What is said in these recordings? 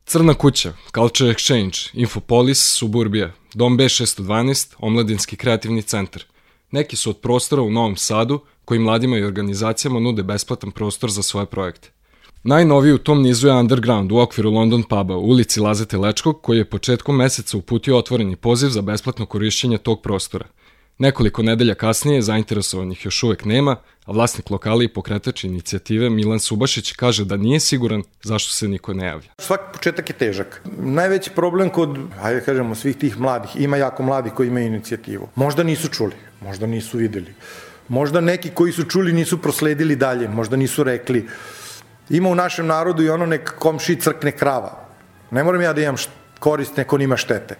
Crna kuća, Culture Exchange, Infopolis, Suburbija, Dom B612, Omladinski kreativni centar. Neki su od prostora u Novom Sadu koji mladima i organizacijama nude besplatan prostor za svoje projekte. Najnoviji u tom nizu je Underground u okviru London Puba u ulici Lazete Lečkog, koji je početkom meseca uputio otvoreni poziv za besplatno korišćenje tog prostora. Nekoliko nedelja kasnije zainteresovanih još uvek nema, a vlasnik lokala i pokretač inicijative Milan Subašić kaže da nije siguran zašto se niko ne javlja. Svaki početak je težak. Najveći problem kod, hajde kažemo, svih tih mladih, ima jako mladih koji imaju inicijativu. Možda nisu čuli, možda nisu videli. Možda neki koji su čuli nisu prosledili dalje, možda nisu rekli. Ima u našem narodu i ono nek komšiji crkne krava. Ne moram ja da imam korist, neko nima štete.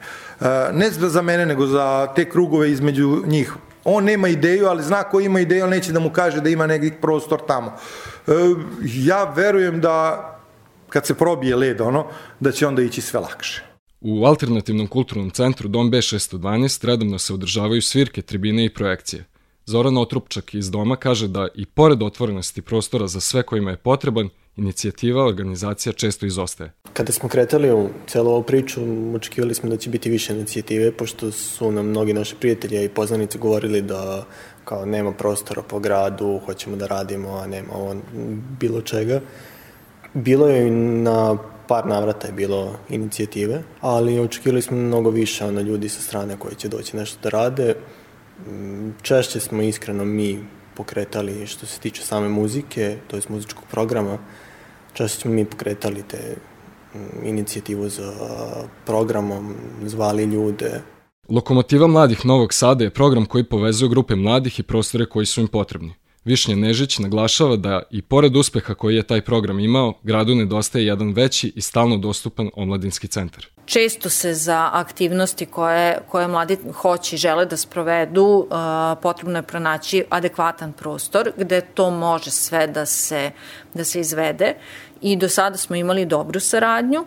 Ne za mene, nego za te krugove između njih. On nema ideju, ali zna ko ima ideju, ali neće da mu kaže da ima neki prostor tamo. Ja verujem da kad se probije led, da će onda ići sve lakše. U alternativnom kulturnom centru Dom B612 redovno se održavaju svirke, tribine i projekcije. Zoran Otrupčak iz Doma kaže da i pored otvorenosti prostora za sve kojima je potreban, inicijativa organizacija često izostaje. Kada smo kretali u celu ovu priču, očekivali smo da će biti više inicijative, pošto su nam mnogi naši prijatelji i poznanici govorili da kao nema prostora po gradu, hoćemo da radimo, a nema bilo čega. Bilo je na par navrata je bilo inicijative, ali očekivali smo mnogo više ljudi sa strane koji će doći nešto da rade. Češće smo iskreno mi pokretali što se tiče same muzike, to je muzičkog programa. Češće smo mi pokretali te inicijativu za programom, zvali ljude. Lokomotiva mladih Novog Sada je program koji povezuje grupe mladih i prostore koji su im potrebni. Višnja Nežić naglašava da i pored uspeha koji je taj program imao, gradu nedostaje jedan veći i stalno dostupan omladinski centar. Često se za aktivnosti koje mladi hoće i žele da sprovedu, potrebno je pronaći adekvatan prostor gde to može sve da se izvede. I do sada smo imali dobru saradnju.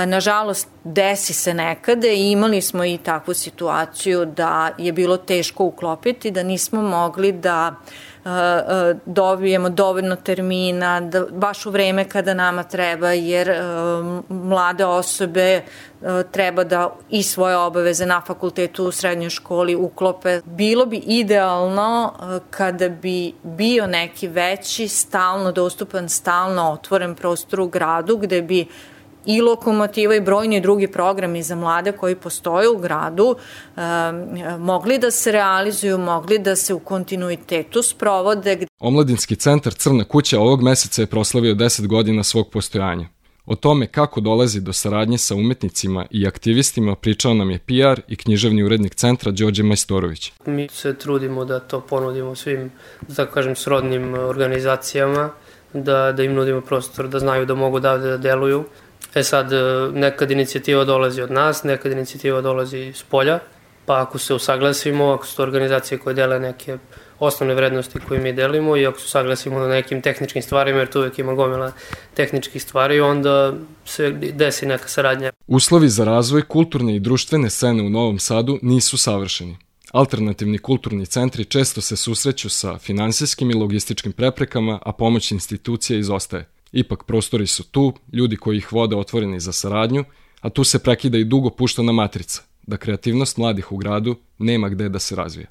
Nažalost, desi se nekada i imali smo i takvu situaciju da je bilo teško uklopiti, da nismo mogli da dobijemo dovoljno termina, da baš u vreme kada nama treba, jer mlade osobe treba da i svoje obaveze na fakultetu, u srednjoj školi uklope. Bilo bi idealno kada bi bio neki veći, stalno dostupan, stalno otvoren prostor u gradu, gde bi i Lokomotiva i brojni drugi programi za mlade koji postoje u gradu mogli da se realizuju, mogli da se u kontinuitetu sprovode. Omladinski centar Crna kuća ovog meseca je proslavio 10 godina svog postojanja. O tome kako dolazi do saradnje sa umetnicima i aktivistima pričao nam je PR i književni urednik centra Đorđe Majstorović. Mi se trudimo da to ponudimo svim, tako kažem, srodnim organizacijama, da im nudimo prostor, da znaju da mogu da deluju. Sad, nekad inicijativa dolazi od nas, nekad inicijativa dolazi iz polja, pa ako se usaglasimo, ako su to organizacije koje dele neke osnovne vrednosti koje mi delimo i ako se usaglasimo na nekim tehničkim stvarima, jer tu uvijek ima gomila tehničkih stvari, onda se desi neka saradnja. Uslovi za razvoj kulturne i društvene scene u Novom Sadu nisu savršeni. Alternativni kulturni centri često se susreću sa finansijskim i logističkim preprekama, a pomoć institucija izostaje. Ipak prostori su tu, ljudi koji ih vode otvoreni za saradnju, a tu se prekida i dugo puštana matrica, da kreativnost mladih u gradu nema gde da se razvija.